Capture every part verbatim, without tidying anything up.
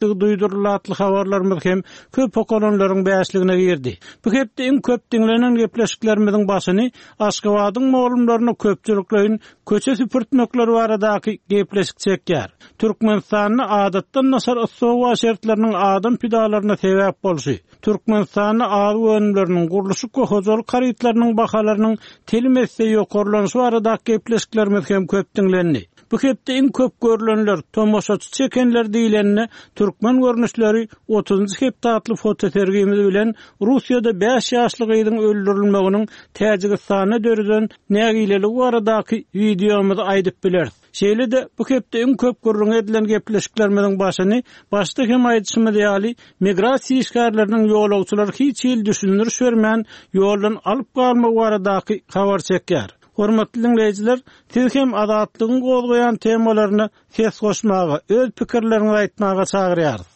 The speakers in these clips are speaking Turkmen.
Duýduryldy atly habarlarymyz hem köp okalanlaryň bäşligine girdi. Bu hepde iň köp diňlenen gepleşiklerimiziň başyny Aşgabadyň mugallymlaryny köpçülikleýin köçe süpürtmekleri baradaky gepleşik çekýär. Türkmenistanda adatdan daşary yssy howa şertleriniň adam pidalaryna sebäp bolşy, Türkmenistanda azyk önümleriniň, gurluşyk we hojalyk harytlarynyň bahalarynyň telim esse ýokarlanyşy baradaky gepleşiklerimiz hem köp diňlendi. Bu hepde iň köp görülenler, tomaşaçy çekenler diýlende, türkmen görnüşleri otuzynjy hepde atly fotosergimiz bilen Russiýada bäş ýaşly gyzyň öldürilmeginiň Täjigistanda döreden nägileligi baradaky wideomyzy aýdyp bileris. Şeýle-de bu hepde iň köp gürrüň edilen gepleşiklerimiziň başyny başda hem aýdyşymyz ýaly migrasiýa işgärleriniň ýolagçylary hiç hili düşündiriş bermän ýoldan alyp galmagy baradaky habar çekýär. Hormatly dinleýjiler, siz hem Azatlygyň gozgaýan temalaryna ses goşmaga, öz pikirleriňizi aýtmaga çagyrýarys.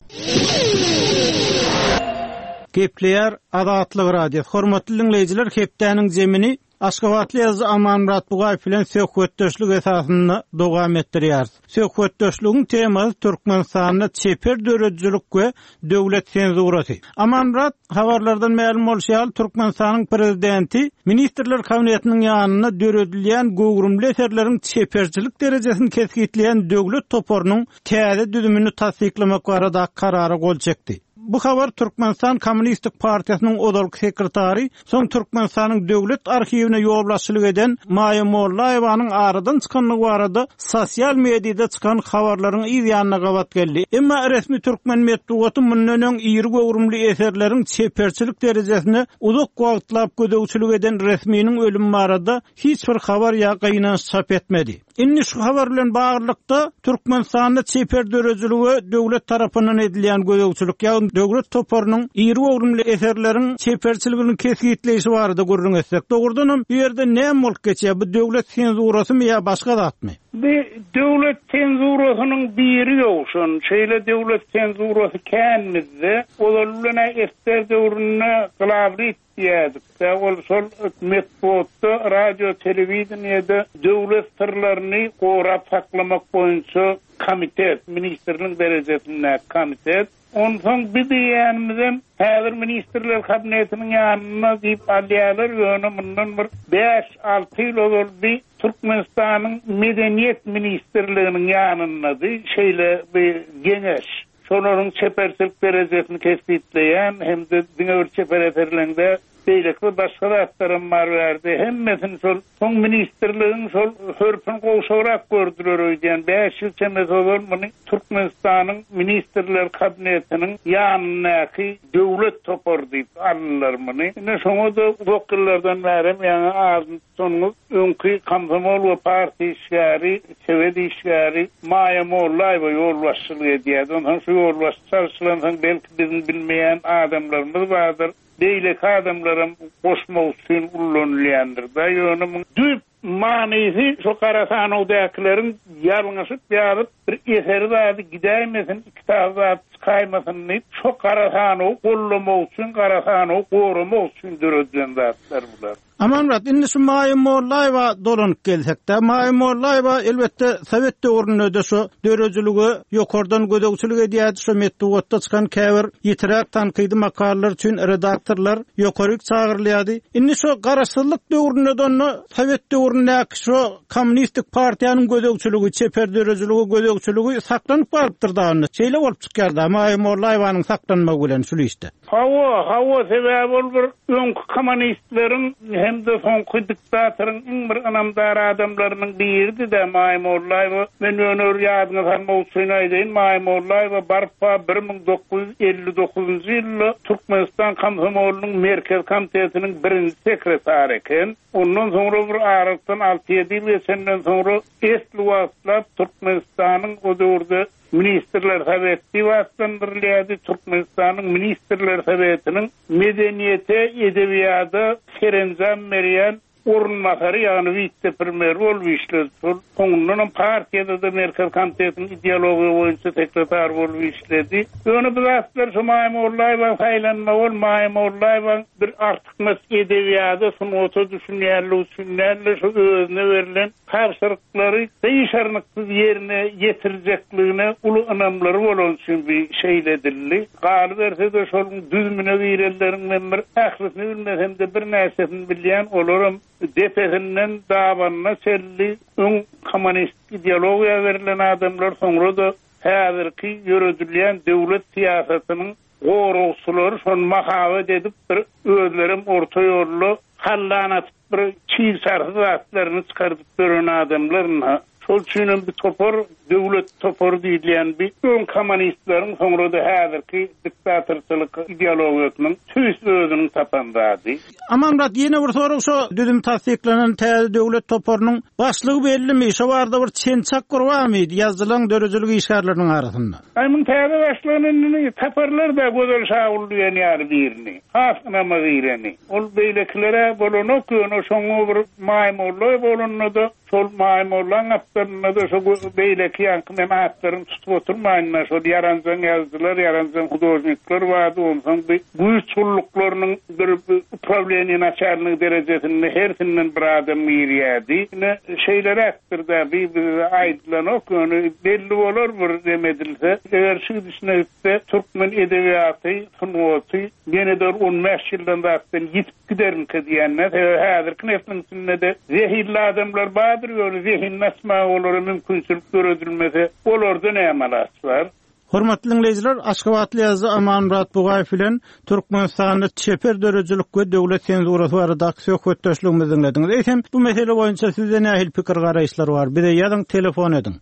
Gepleýär Azatlyk Radiosy. Hormatly dinleýjiler, hepdäniň zemini Aşgabatly ýazyjy Amanmyrat Bugaýew bilen söhbetdeşlik esasynda dowam etdirýäris. Söhbetdeşligiň temasy Türkmenistanda çeper döredijilik we döwlet senzurasy. Amanmyrat, habarlardan mälim bolşy ýaly, Türkmenistanyň prezidenti Ministrler Kabinetiniň ýanynda döredilýän göwrümli eserleriň çeperçilik derejesini kesgitleýän döwlet toparynyň täze düzümini tassyklamak barada karara gol çekdi. Bu habar Türkmenistan Kommunistik Partiýasynyň ozalky sekretary, soň Türkmenistanyň Döwlet arhiwine ýolbaşçylyk eden Maýa Mollaýewanyň aradan çykanlygy barada sosial mediada çykan habarlaryň yz ýanyna gabat geldi. Emma resmi türkmen metbugaty mundan öň iri göwrümli eserleriň çeperçilik derejesine uzak wagtlap gözegçilik eden resminiň ölümi barada hiç bir habar ýa gynanç çap etmedi. Indi şu habar bilen baglylykda Türkmenistanda çeper döredijilige döwlet tarapyndan edilýän gözegçilik, ýagny döwlet toparynyň iri göwrümli eserleriň çeperçiligini kesgitleýşi barada gürrüň etsek, dogrudanam bu ýerde näme bolup geçýär? Bu döwlet senzurasymy ýa başga zatmy? Bu döwlet senzurasynyň biri ýowşan, şeýle döwlet senzurasy kän bizde. Ozal bilen S S S R döwründe glawrit diýerdik. Ol şol metbuatda, radio, telewideniýede döwlet syrlaryny gorap saklamak boýunça komitet, ministrlik derejesindäki komitet. Onsoň bir diýenimizem häzir Ministrler Kabinetiniň ýanynda diýip alýarlar, ýöne mundan bir bäş-alty ýyl ozal bir Türkmenistanyň Medeniýet Ministrliginiň ýanyndady, şeýle bir geňeş. Şolaryň çeperçilik derejesini kesgitleýän hem-de diňe bir çeper eserlerinde beýleki bir başga zatlaram bar berdi. Hemmesini şol soň ministrligiň şol hörpün gowşagrak gördüler öýdýän. Bäş ýyl çemesi ozal muny Türkmenistanyň Ministrler Kabinetiniň ýanyndaky döwlet topary diýip aldylar muny. Ine şoňa-da uzak ýyllardan bäri ýaňy adyny tutanymyz öňki komsomol we partiýa işgäri, sowet işgäri Maýa Mollaýewa ýolbaşçylyk edýärdi. Ondan şu ýolbaşçy çalşylansoň belki biziň bilmeýän adamlarymyz bardyr. Beýleki adamlaram goşmak üçin ullanylýandyr da. Ýöne muň düýp manysy şu gara sanawdakylaryň ýalňyşyp ýazyp bir eseri zady gidäýmesin, iki kitaby zady çykaýmasyn diýip, şu gara sanawy gollamak üçin, gara sanawy goramak üçin döredilen zatlar bular. Amanmyrat, indi şu Maýa Mollaýewa dolanyp gelsek-de, Maýa Mollaýewa elbetde sowet döwründe-de şu döredijilige ýokardan gözegçilik edýärdi, şu metbugatda çykan käbir ýitiräk tankydy makalalar üçin redaktorlar ýokaryk çagyrylýardy. Indi şu garaşsyzlyk döwründe-de onda sowet döwründäki şu kommunistik partiýanyň gözegçiligi, çeper döredijiligi gözegçiligi saklanyp galypdyr da onda. Şeýle bolup çykýar da Maýa Mollaýewanyň saklanmagy bilen şu işde. Hawa, hawa, sebäbi ol bir öňki kommunistleriň hem-de soňky diktatoryň iň bir ynamdar adamlarynyň biridi-de Maýa Mollaýewa. Men ýöne bir ýadyňa salmak üçin aýdaýyn, Maýa Mollaýewa barpa bir müň dokuz ýüz elli dokuzynjy ýylda Türkmenistan Komsomolynyň Merkez Komitetiniň birinji sekretary eken. Ondan soňra bir aralykdan alty-ýedi ýyl geçenden soňra esli wagtlap Türkmenistanyň o döwürde Ministrler Soweti diýip atlandyrylýardy. Türkmenistanyň Ministrler Sowetiniň medeniýete, edebiýata serenjam berýän orunbasary, ýagny wise-premýer bolup işledi. Şol soňundanam partiýada-da Merkez Komitetiniň ideologiýa boýunça sekretary bolup işledi. Ýöne bu zatlar şu Maýa Mollaýewa saýlanmagy ol Maýa Mollaýewa bir artykmaç edebiýata, sungata düşünýänligi üçin däl-de, şu özüne berlen tabşyryklary gyşarnyksyz ýerine ýetirjekligine uly ynamlary bolan üçin bir şeýle edildi. Galyberse-de şonuň düzümine girenleriň men bir ählisini bilmesem-de birnäçesini bilýän, olaram depesinden dabanyna çenli öň kommunist ideologiýa berlen adamlar, soňra-da häzirki ýöredilýän döwlet syýasatynyň goragçylary şony mahabat edip bir özlerem orta ýolda hallan atyp bir çig çarsyz zatlaryny çykardyp beren adamlar. Şol üçinem bir topar, döwlet topary diýilýän bir öň kommunistleriň, soňra-da häzirki diktatorçylyk ideologiýasynyň tüýs özüniň tapan zady. Amanmyrat, ýene bir sorag, şo düzüm tassyklanan täze döwlet toparynyň başlygy bellimi? Şo barada bir çen-çak bir barmy ýazyjylaryň, döredijilik işgärleriniň arasynda? Aý, muň täze başlygyny indi taparlar-da, Gözel Şagul diýen ýaly birini. Has ynama gireni. Ol beýlekilere bolanok, ýöne şoňa bir Maýa Mollaýewa bolanda-da, şol Maýa Mollaň gapdalynda-da şo beýleki ýaňky men atlaryny tutup oturmaýyn-da, şol ýaranjaň ýazyjylar, ýaranjaň hudožnikler bardy, onsoň bir güýç gulluklarynyň bir uprawleniýe naçalnigi derejesinde hersinden bir adam girýärdi. Ine, şeýleräkdir-de, bir bize aýdylanok, ýöne belli bolar bir dem edilse. Eger şu gidişine gitse, türkmen edebiýaty, sungaty ýene-de on bäş ýyldan zatdan ýitip gidermkä diýenler, sebäbi häzirki nesliň içinde-de zehilli adamlar bardyr, ýöne zehinini açmaga olara mümkinçilik döredilmese, olarda näme alaç bar? Hormatly dinleýjiler, Aşgabatly ýazyjy Amanmyrat Bugaýew bilen Türkmenistanda çeper döredijilik we döwlet senzurasy baradaky söhbetdeşligimizi dinlediňiz. Eýsem, bu mesele boýunça sizde nähili pikir garaýyşlar bar? Bize ýazyň, telefon ediň.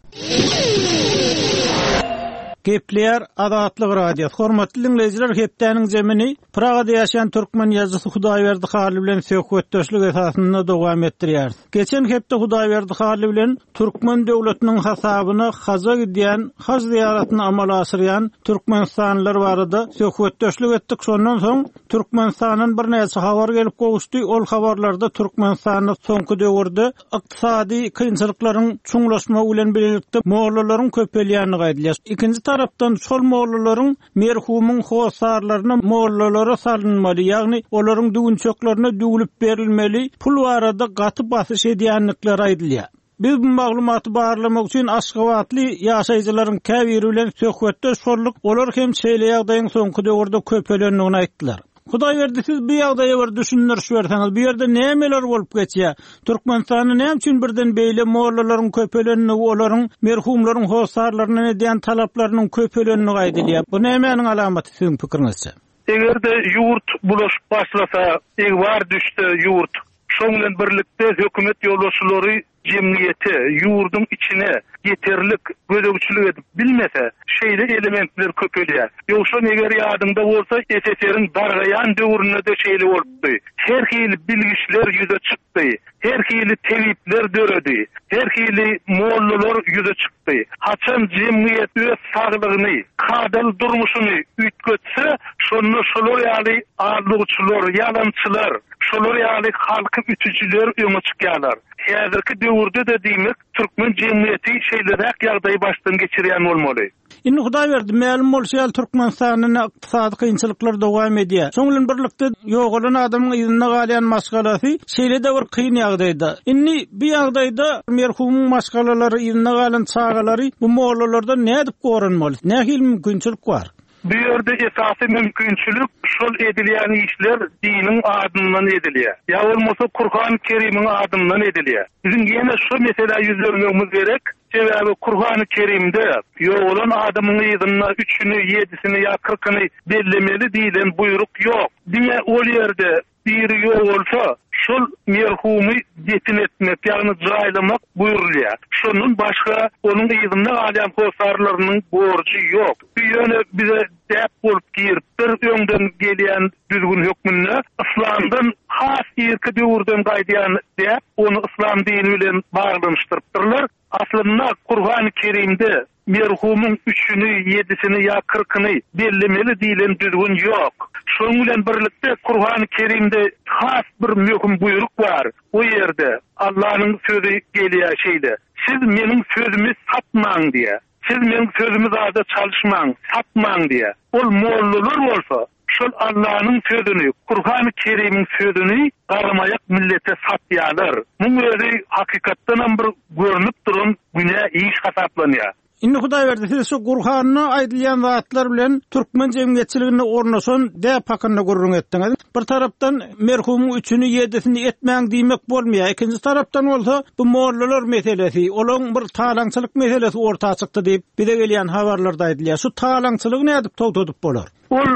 Gepleýär Azatlyk Radiosy. Hormatly dinleýjiler, hepdäniň zemini Pragada ýaşaýan türkmen ýazyjysy Hudaýberdi Hally bilen söhbetdeşlik esasynda dowam etdirýäris. Geçen hepde Hudaýberdi Hally bilen türkmen döwletiniň hasabyna haja gidýän, haj ziýaratyny amala aşyrýan Türkmenistanlylar barada söhbetdeşlik etdik. Şondan soň Türkmenistandan birnäçe habar gelip gowuşdy. Ol habarlarda Türkmenistanda soňky döwürde ykdysady kynçylyklaryň çuňlaşmagy bilen birlikde mollalaryň köpelýänligi aýdylýar. Ikinji tarapdan şol mollalaryň merhumyň hossarlaryna mollalara salynmaly, ýagny olaryň düwünçeklerine düwlüp berilmeli pul barada gaty basyş edýänlikleri aýdylýar. Biz bu maglumaty barlamak üçin Aşgabatly ýaşaýjylaryň käbiri bilen söhbetdeş bolduk. Olar hem şeýle ýagdaýyň soňky döwürde köpelendigini aýtdylar. Hudaýberdi, siz bu ýagdaýa bir düşündiriş berseňiz, bu ýerde nämeler bolup geçýär? Türkmenistanda näme üçin birden beýle mollalaryň köpelenligi, olaryň merhumlaryň hossarlaryndan edýän talaplarynyň köpelenligi aýdylýar? Bu nämäniň alamaty siziň pikiriňizçe? Eger-de ýurt bulaşyp başlasa, egbar düşse ýurt, şoň bilen birlikde hökümet ýolbaşçylary jemgyýete, ýurduň içine ýeterlik gözegçilik edip bilmese, şeýle elementler köpelýär. Ýogsa eger ýadyňda bolsa, S S R-iň dargaýan döwründe-de şeýle bolupdy. Her hili bilgiçler ýüze çykdy, her hili tebipler döredi, her hili mollalar ýüze çykdy. Haçan jemgyýet öz saglygyny, kadaly durmuşyny üýtgetse, şonda şolar ýaly aldawçylar, ýalançylar, şolar ýaly halky ütüjiler öňe çykýarlar. Häzirki döwürde-de diýmek, türkmen jemgyýeti şeýleräk ýagdaýy başdan geçirýän bolmaly. Indi Hudaýberdi, mälim bolşy ýaly Türkmenistanda ykdysady kynçylyklar dowam edýär. Şoň bilen birlikde ýogalan adamyň yzynda galýan maşgalasy şeýle-de bir kyn ýagdaýda. Indi bu ýagdaýda merhumyň maşgalalary, yzynda galan çagalary bu mollalardan nädip goranmaly? Nähili mümkinçilik bar? Bu ýerde esasy mümkinçilik şol edilýän işler diniň adyndan edilýär. Ýa bolmasa Kur'an-ı Kerim'iň adyndan edilýär. Biziň ýene şu meselä ýüzlenmegimiz gerek. Sebäbi Kur'an-ı Kerim'de ýogalan adamyň yzynda üçüni, ýedisini ýa kyrkyny bellemeli diýlen buýruk ýok. Diňe ol ýerde biri ýogalsa, şol merhumy defin etmek, ýagny jaýlamak buýrulýar. Şondan başga onuň yzynda galýan hossarlarynyň borjy ýok. Bu ýöne bize däp bolup giripdir, öňden gelýän düzgün hökmünde Islamdan has irki döwürden gaýdýan däp, ony Islam dini bilen baglanyşdyrypdyrlar. Aslynda Aslynda Kur'an-ı Kerim'de merhumyň üçüni, ýedisini ýa kyrkyny bellemeli diýlen düzgün ýok. Şonuň bilen birlikde Kur'an-ı Kerim'de has bir möhüm buýruk bar. O ýerde Allah'ın sözü gelýär şeýle. Siz meniň sözümi satmaň diýe. Siz meniň sözümi zada çalışmaň, satmaň diýe. Ol mollalar bolsa şol Allah'ın sözünü, Kur'an-ı Kerim'in sözünü garamayak millete satýarlar. Muň özi hakykatdan bir görünüp duran günä iş hasaplanýar. Indi Hudaýberdi siz şu Gurhanyna aýdylýan zatlar bilen türkmen jemgyýetçiliginde ornaşan däp hakynda gürrüň etdiňiz. Bir tarapdan merhumyň üçüni ýedisini etmäň diýmek bolmaýar. Ikinji tarapdan bolsa bu mollalar meselesi, olaň bir talaňçylyk meselesi orta çykdy diýip bize gelýän habarlarda aýdylýar. Şu talaňçylygy nädip togtadyp bolar? Ol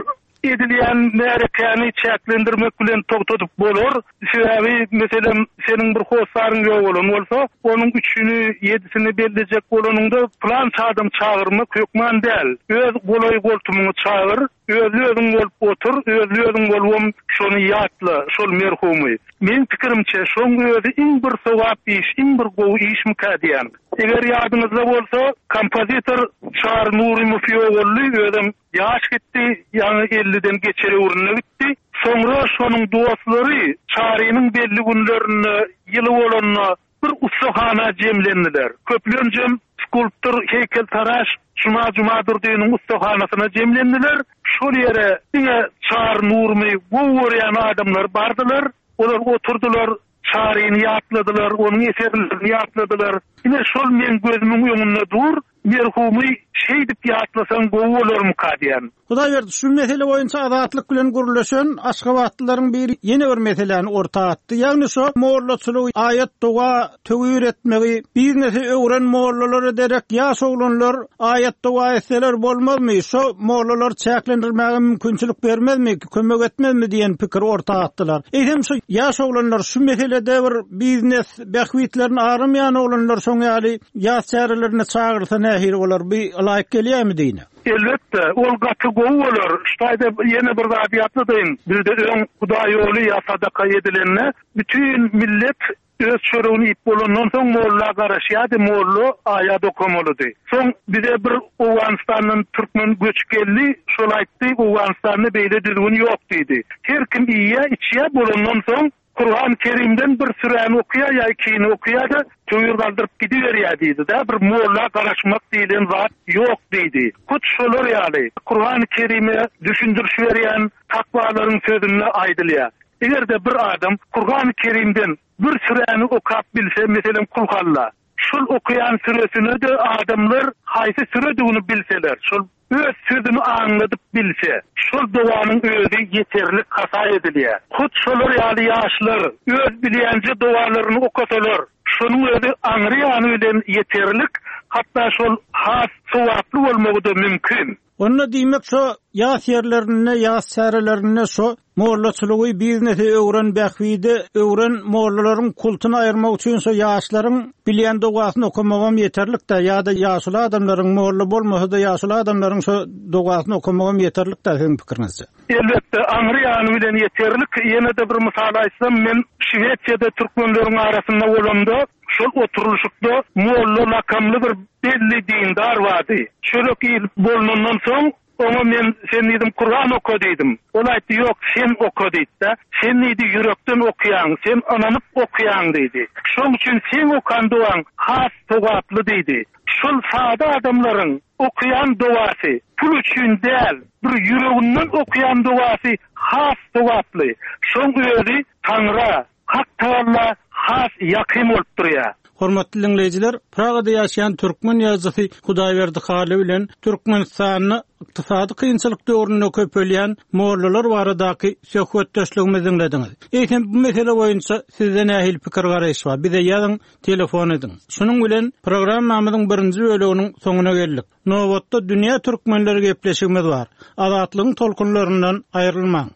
edilýän märekäni çäklendirmek bilen togtadyp bolar. Sebäbi meselem seniň bir hossaryň ýok bolan bolsa, onuň üçüni, ýedisini bellejek bolanyňda plan adam çagyrmak hökman däl. Öz golaý goltumyňy çagyr, özli özüň bolup otur, özli özüň bolubam şony ýatla, şol merhumy. Men pikirimçe şoň özi iň bir sogap iş, iň bir gowy işmikä diýen. Eger ýadyňyzda bolsa, kompozitor Çary Nurymow ýogaldy, özem ýaş gitdi, ýaňy elliden geçer öwrüne gitdi. Soňra şonuň dostlary Çarynyň belli günlerinde ýyly bolanda bir ussahana jemlendiler. Köplenjem skulptor heykeltaraş Juma Jumadurdynyň ussahanasyna jemlendiler. Şol ýere diňe Çary Nurymy gowy görýän adamlar bardylar. Olar oturdylar, Çaryny ýatladylar, onuň eserlerini ýatladylar. Ine şol men gözümiň öňünde dur, merhumy şeýdip ýatlasaň gowy bolarmyka diýen. Hudaýberdi şu mesele boýunça azatlyk bilen gürleşen Aşgabatlylaryň biri ýene bir meseläni orta atdy. Ýagny şu mollaçylygy, aýat doga töwir etmegi, biznesi öwren mollalara derek ýaş oglanlar aýat doga etseler bolmazmy? Şu mollalar çäklendirmäge mümkinçilik bermezmi, kömek etmezmi diýen pikir orta atdylar. Eýsem şu ýaş oglanlar şu meselede bir biznes bähbitlerini aramaýan oglanlar şoň ýaly ýaş çärelerine çagyrsa nähili bolar? Bir laýyk gelýärmi diýne? Elbetde, ol gaty gowy bolar. Ştaýda ýene bir zat ýatladyň. Bizde öň Hudaý ýoly ýa sadaka edilende bütün millet öz çöregini iýip bolandan soň molla garaşýardy, molla aýat okamalydy. Soň bize bir Owganistandan türkmen göçüp geldi, şol aýtdy, Owganistanda beýle düzgün ýok diýdi. Her kim iýýär, içýär bolandan soň Kur'an-ı Kerim'den bir süräni okuýar ýa ikini okuýar da töwir galdyryp gidiberýär diýdi da bir molla garaşmak diýlen zat ýok diýdi. Hut şolar ýaly Kur'an-ı Kerim'e düşündiriş berýän takwalaryň sözünde aýdylýar. Eger de bir adam Kur'an-ı Kerim'den bir süräni okap bilse, meselem Kulhalla, şol okuyan süresini de adamlar haýsy süredigini bilseler, şol öz sözünü aňladyp bilse, şol dowanyň özi ýeterlik hasap edilýär. Hut şolar ýaly ýaşlar öz bilýänje dowalaryny okasalar, şonuň özi aňry ýany bilen ýeterlik, hatda şol has sowaply bolmagy da mümkin. Onda diýmek şo ýas ýerlerinde, ýas çärelerinde şo mollaçylygy biznesi öwren bähbide öwren mollalaryň kultuny aýyrmak üçin şo ýaşlaryň bilýän dogasyny okamagam ýeterlik-de, ýa-da ýaşly adamlaryň molla bolmasa da ýaşly adamlaryň şo dogasyny okamagam ýeterlik-de siziň pikiriňizçe. Elbetde aňry ýany bilen ýeterlik. Ýene de bir mysal aýtsam, men Şwesiýada türkmenleriň arasynda bolamda, şol oturylyşykda molla lakamly bir belli dindar bardy. Çörek iýip bolunandan soň oňa men sen diýdim Kur'an oka diýdim. Ol aýtdy, ýok, sen oka diýdi. Sen diýdi ýürekden okuýaň, sen ynanyp okuýaň diýdi. Şoň üçin sen okan dogaň has sogaply diýdi. Şol sada adamlaryň okuýan dogasy pul üçin däl, bir ýüreginden okuýan dogasy has sogaply. Şoň özi Taňra, Hak Taala has ýakyn bolup durýar. Hormatly dinleýjiler, Pragada ýaşaýan türkmen ýazyjysy Hudaýberdi Hally bilen Türkmenistanda ykdysady kynçylyk döwründe köpelýän mollalar baradaky söhbetdeşligimizi dinlediňiz. Eýsem bu mesele boýunça sizde nähili pikir garaýyş bar? Bize ýazyň, telefon ediň. Şunuň bilen programmamyzyň birinji bölüminiň soňuna geldik. Nobatda dünýä türkmenleri gepleşigimiz bar. Azatlygyň tolkunlaryndan aýrylmaň.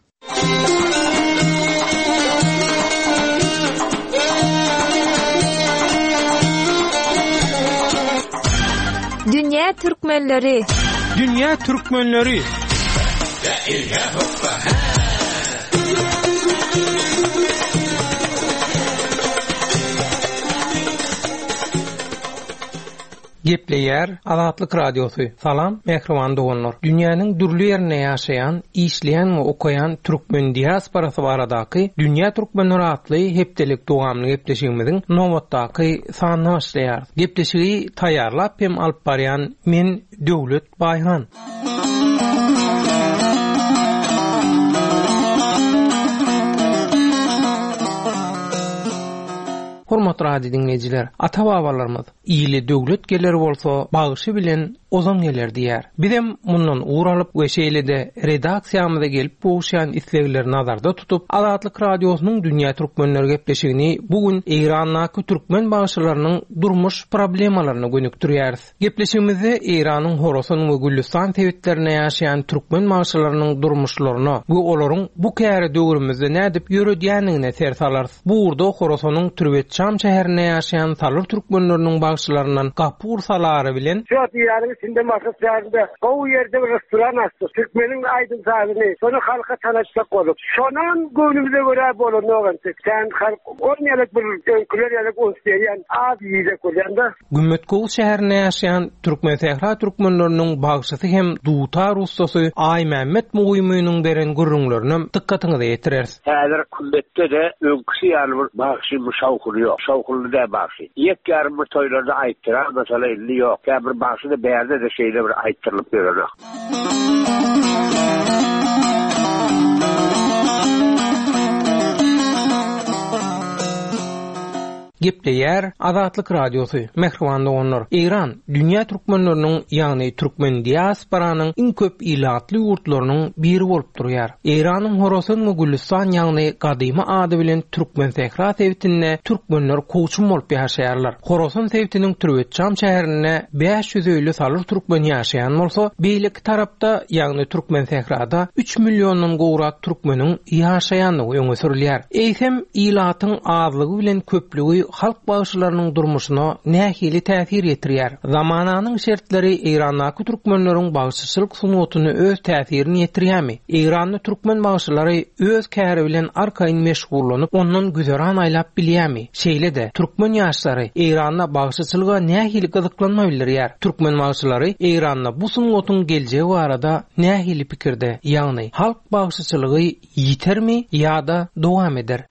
Dünya Türkmenleri. Dünya Türkmenleri. Gepleýär Azatlyk Radiosy. Salam, mähriban doganlar. Dünýäniň dürli ýerinde ýaşaýan, işleýän we okaýan türkmen diasporasy baradaky Dünýä Türkmenleri atly hepdelik dowamly gepleşigimiziň nobatdaky sanyny başlaýar. Gepleşigi taýýarlap hem alyp barýan men Döwlet Baýhan. Hormatly radio dinleýjiler, ata-babalarymyz ili döwlet geler bolsa, bagşy bilen ozan geler diýär. Bizem mundan ugur alyp we şeýle-de redaksiýamyza gelip gowuşýan islegleri nazarda tutup, Azatlyk Radiosynyň Dünýä Türkmenleri gepleşigini bu gün Eýrandaky türkmen bagşylarynyň durmuş problemalaryna gönükdirýäris. Gepleşigimizde Eýranyň Horasan we Gülistan sebitlerinde ýaşaýan türkmen bagşylarynyň durmuşlaryna we olaryň bu käre döwrümizde nädip ýöredýändigine ser salarys. Bu ugurda Horasanyň Türbetçam şäherinde ýaşaýan Salyr türkmenleriniň bagşylaryndan Gapur Salary bilen Şu Eýranyň içinde Maşat şäherinde gowy ýerde bir restoran açdy. Türkmeniň aýdym sazyny, şony halka tanatjak bolup. Şonam göwnümize görä bolanok entek. Sen halk on ýalyk bir öňküler ýalyk uns berýän, az ýiyjek bolýan-da. Gümmetgowuz şäherinde ýaşaýan Türkmen Sähra türkmenleriniň bagşysy hem dutar ussasy Aýmämmet Muýmynyň beren gürrüňlerini dykgatyňyza ýetireris. Häzir Kümmetde-de öňküsi ýaly bir bagşy bu şawhuny ýok. Şawhunly däl bagşy. Ýek ýarym bir toýlarda aýtdyrar, mesela indi ýok. Ýa bir bagşy da bärde de şeýle bir aýtdyrylyp ýörenok. Gepleýär Azatlyk Radiosy. Mähriban doganlar, Eýran dünýä türkmenleriniň, ýagny türkmen diasporanyň iň köp ilatly ýurtlarynyň biri bolup durýar. Eýranyň Horasan we Gülistan, ýagny gadymy ady bilen Türkmen Sähra sebitinde türkmenler kowçum bolup ýaşaýarlar. Horasan sebitiniň Türbetçam şäherinde bäş ýüz öýli Salyr türkmen ýaşaýan bolsa, beýleki tarapda, ýagny Türkmen Sährada üç milliondan gowrak türkmeniň ýaşaýandygy öňe sürülýär. Eýsem ilatyň azlygy bilen köplügi halk bagşylarynyň durmuşyna nähili täsir ýetirýär? Zamananyň şertleri Eýrandaky türkmenleriň bagşyçylyk sungatyny öz täsirini ýetirýärmi? Eýranda türkmen bagşylary öz käri bilen arkaýyn meşgullanyp, ondan güzeran aýlap bilýärmi? Şeýle-de türkmen ýaşlary Eýranda bagşyçylyga nähili gyzyklanma bildirýär? Türkmen bagşylary Eýranda bu sungatyň geljegi barada nähili pikirde, ýagny halk bagşyçylygy ýitermi ýa-da dowam eder?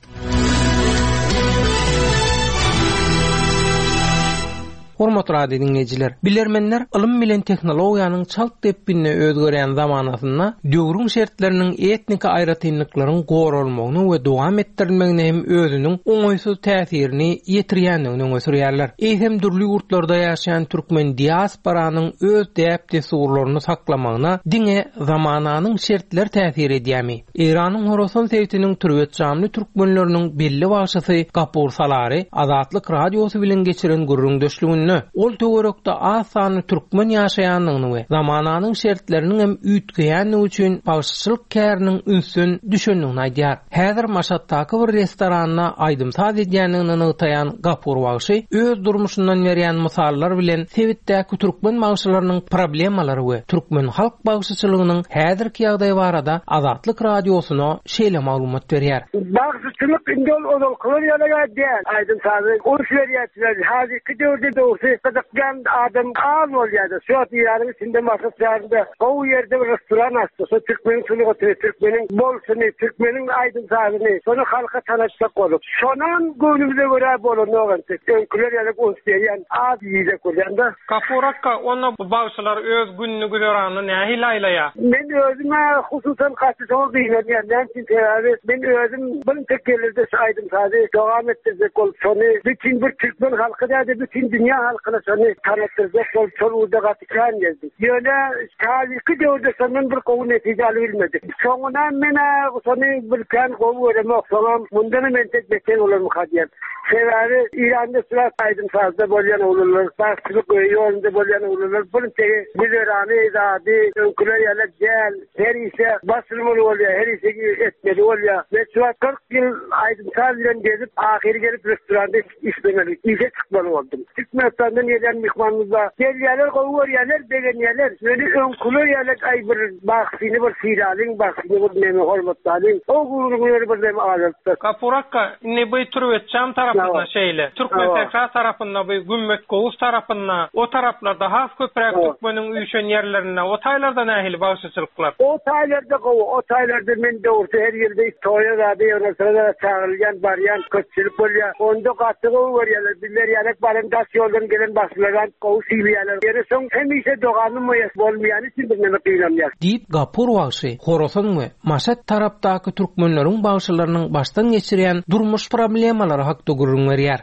Hormatly radio dinleýjiler, bilermenler ylym bilen tehnologiýanyň çalt depginine özgerýän zamanasynda döwrüň şertleriniň etnik aýratynlyklaryň goralmagyny we dowam etdirilmegine hem özüniň oňaýsyz täsirini ýetirýändigini öňe sürýärler. Eýsem dürli ýurtlarda ýaşaýan türkmen diasporanyň öz däp-dessurlaryny saklamagyna diňe zamananyň şertleri täsir edýärmi? Eýranyň Horasan sebitiniň Türbetçamly türkmenleriniň belli bagşysy Gapur Salary Azatlyk Radiosy bilen geçiren gürrüňdeşliginde ol töwerekde az sanly türkmen ýaşaýandygyny we zamananyň şertleriniň hem üýtgeýändigi üçin bagşyçylyk käriniň ünsden düşendigini aýdýar. Häzir Maşatdaky bir restoranda aýdym-saz edýändigini nygtaýan Gapur bagşy öz durmuşyndan berýän mysallar bilen sebitdäki türkmen bagşylarynyň problemalary we türkmen halk bagşyçylygynyň häzirki ýagdaýy barada Azatlyk Radiosyna şeýle maglumat berýär. Bagşyçylyk indi ol ozalkylar ýaly däl. Aýdym-sazy uns berýärler. Häzirki döwürde dogrusu gyzyklan adam az bolýardy. Şu Eýranyň içinde Maşat şäherinde gowy ýerde bir restoran açdy. Şu türkmeniň sungatyny, türkmeniň bolşuny, türkmeniň aýdym sazyny, şony halka tanatjak bolup. Şonam göwnümize görä bolanok entek. Öňküler ýaly uns berýän, az ýiyjek bolýan-da. Gapur akka, onda bu bagşylar öz gününi güzeranyny nähili aýlaýar? Men özüme hususan gaty şoňa gynanýan. Näme üçin? Sebäbi men özüm bir tek gelirde şu aýdym sazy dowam etdirjek bolup, şony bütün bir türkmen halky däde, bütün dünýä halkyna şony tanatdyrjak bolup, şol ugurda gaty kän geldi. Ýöne häzirki döwürde şondan bir gowy netije alyp bilmedik. Soňuna men-ä şony bir kän gowy göremok. Soňam mundan hem entek beter bolarmyka diýen. Sebäbi Eýranda şular aýdym sazda bolýan oglanlar, bagşylyk ýolunda bolýan oglanlar bir tegi güzerany zady öňküler ýaly däl. Her işe başylmaly bolýar, her işe etmeli bolýar. Men şu wagt kyrk ýyl aýdym saz bilen gezip, ahyry gelip restoranda işlemeli, işe çykmaly boldum. Türkmen Türkmenistandan gelen myhmanymyz bar. Gelýärler, gowy görýärler, begenýärler. Ýöne öňküler ýaly aý bir bagşyny bir sylalyň, bagşyny bir neme hormatlalyň. O gürrüňleri bir neme azaltdy. Gapur akga, indi bu Türwetjam tarapynda şeýle. Türkmensähra tarapynda bu Gümmet Gowuz tarapynda, o taraplarda has köpräk türkmeniň üýşen ýerlerinde, o taýlarda nähili bagşyçylyklar? O taýlarda gowy, o taýlarda men dogrusu her ýylda toýa zady ýygnalsa çagyrylýan, barýan köpçülik bolýar. Onda gaty gowy görýärler. Bizler ýaly baran daş ýoldan gelen bagşylardan gowy sylaýarlar. Ýöne soň hemişe dogamym bolmaýany üçin bir neme gynanýar. Diýip Gapur bagşy Horasan we Maşat tarapdaky türkmenleriň bagşylarynyň başdan geçirýän durmuş problemalary hakda gürrüň berýär.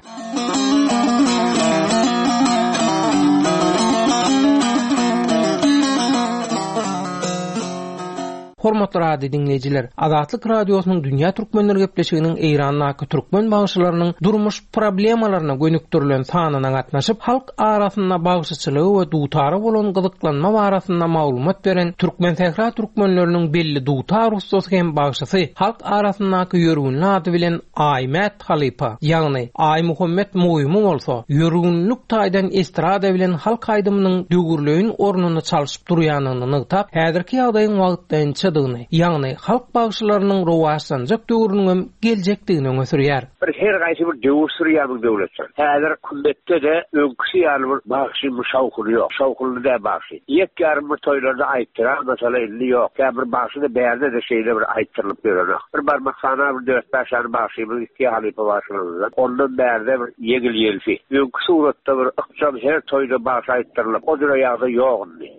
Hormatly radio dinleýjiler, Azatlyk radiosynyň Dünýä Türkmenler gepleşiginiň Eýrandaky türkmen bagşylarynyň durmuş problemalaryna gönükdirilen sanyna gatnaşyp, halk arasynda bagşyçylygy we dutara bolan gyzyklanma barasynda maglumat beren Türkmensähra türkmenleriniň belli dutar ussasy hem bagşysy, halk arasyndaky ýörgünli ady bilen Aýmät halypa, ýagny Aýmuhammet Muýumy bolsa, ýörgünlük taýdan estrada bilen halk aýdymynyň döwürleýin ornuny çalşyp durýanyny nygtap, häzirki ýagdaýyň wagtlaýynçadygyny, ýagny halk bagşylarynyň rowaçlanjak döwrüniň geljekdigini öňe sürýär. Bir her gaýsy bir döwür sürýär bu döwletler. Häzir kümbetde-de öňküsi ýaly bir bagşy şawhuny ýok. Şawhunly da bagşy. Ýek ýarym bir toýlarda aýtdyran mesela indi ýok. Kä bir bagşy-da bärde-de şeýle bir aýtdyrylyp ýörenok. Bir barmak sana bir dört bäş sany bagşymyz iki halypa bagşymyzdan. Ondan bärde bir ýegil ýelfi. Öňkü suratda bir ykjam her toýda bagşy aýtdyrylyp, o jüre ýagdaý ýok indi.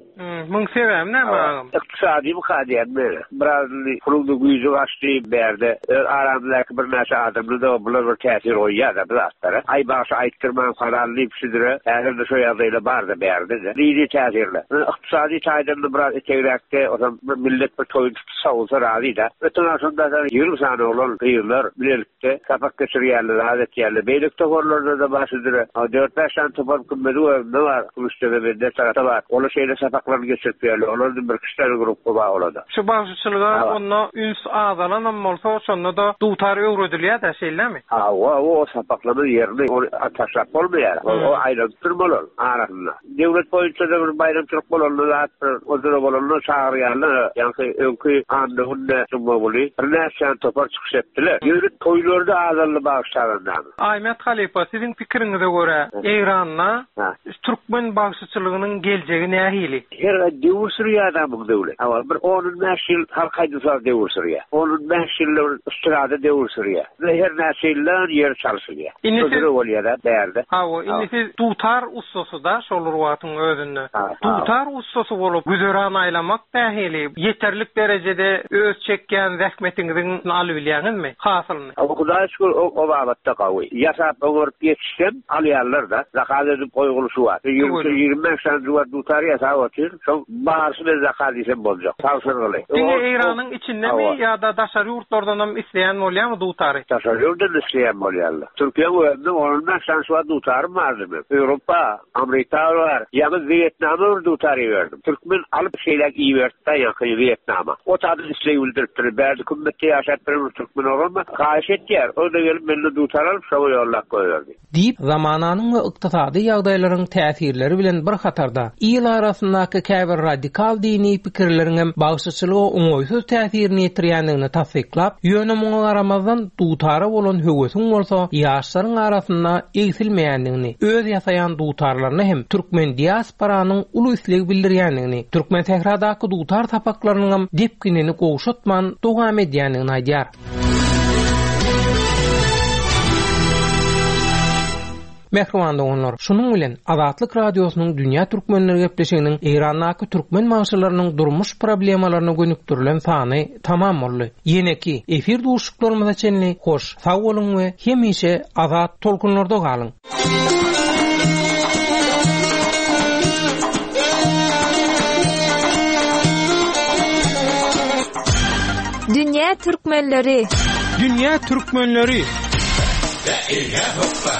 Muň sebäbi näme agam? Ykdysady bu kadiýan meni. Biraz puluň güýji gaçdy bärde. Öz aramyzdaky bir näçe adamly da bular bir täsir goýýar da bu zatlara. Aý bagşy aýtdyrman falan diýip şüdüre, häzir de şo ýagdaýla bar da bärde de. Dini täsirle. Ykdysady taýdan da biraz etegräkde, otam bir millet bir toýun tutup sawulsa razy da. Öten agşam da ýigrimi sany oglan gyzlar bilelikde sapak geçirýärler, rahat etýärler. Beýlek toparlarda da bar şüdüre. Dört bäş sany topar kümmedi özünde bar. Kümüşdege bende tarapda bar. Olar şeýle sapaklaryny geçirip ýerler. Olar bir kişiler grupy bar olada. Şu bagşyçylyga onda üns azalanam bolsa, şonda da dutar öwredilýär da, şeýlemi? Ha, o, o sapaklaryň ýerini ony taşlap bolmaýar. O, o aýlanyp durmaly arasynda. Döwlet boýunça da bir baýramçylyk bolanda zat bir ozura bolanda çagyrýarlar. Ýagny öňki anna günde Jumaguli bir näçe topar çykyş etdiler. Ýöne toýlarda azaldy bagşylardan. Aýmet halypa, siziň pikiriňize görä, Eýranda türkmen bagşyçylygynyň geljegi nähili? Her döwür sürýär adamyň döwlet. Hawa, bir on bäş ýyl halk aýdymsaz döwür sürýär. On bäş ýyl estrada döwür sürýär. Ve her näçe ýyldan ýer çalşylýar. Indi siz Özüre bolýar da bärde. Hawa, indi siz dutar ussasy da şol wagtyň özünde. Dutar ussasy bolup güzeran aýlamak nähili? Ýeterlik derejede öz çekýän zähmetiňiziň alyp bilýäňizmi? Hasylyny. Hawa, Hudaý şükür o, o babatda gawy. Ýasap oňaryp ýetişsem alýarlar da. Zakaz edip goýgulyşy bar. Ýigrimi ýigrimi bäş sany duvar dutar ýasap otyr. Şoň barsy men zakaz diýsem boljak. Tabşyrgyly. Diňe O- Eýranyň içindemi Hawa. ýa-da daşary ýurtlardan hem isleýän bolýarmy dutary? Daşary ýurtdan isleýän bolýarlar. Türkiýe özünde on bäş sany şu dutarym bardy men. Ýewropa, Amerika bar. Ýaňy Wýetnama bir dutar iberdim. Türkmen alyp şeýle iberdi ýaňy Wýetnama. O taýda isleý bildiripdir. Bärde kümmette ýaşap bir türkmen oglanma haýyş etýär. O da gelip meni dutar alyp şoňa ýollap goýberdi. Diýip, zamananyň we ykdysady ýagdaýlaryň täsirleri bilen bir hatarda il arasyndaky käbir radikal dini pikirleriň hem bagşyçylyga oňaýsyz täsirini ýetirýändigini tassyklap, ýöne muňa garamazdan dutara bolan höwesiň bolsa ýaşlaryň arasynda egsilmeýändigini, öz ýasaýan dutarlaryna hem türkmen diasporanyň uly isleg bildirýändigini, Türkmen sähradaky dutar sapaklarynyň hem depginini gowşatman dowam edýändigini aýdýar. Mähriban doganlar, şunuň bilen Azatlyk radiosynyň Dünýä Türkmenleri gepleşiginiň Eýrandaky türkmen bagşylarynyň durmuş problemalaryna gönükdirilen sany tamam boldy. Ýeneki efir duşuşyklarymyza çenli hoş, sag boluň we hemişe azat tolkunlarda galyň. Dünýä Türkmenleri. Dünýä Türkmenleri. Hoppa,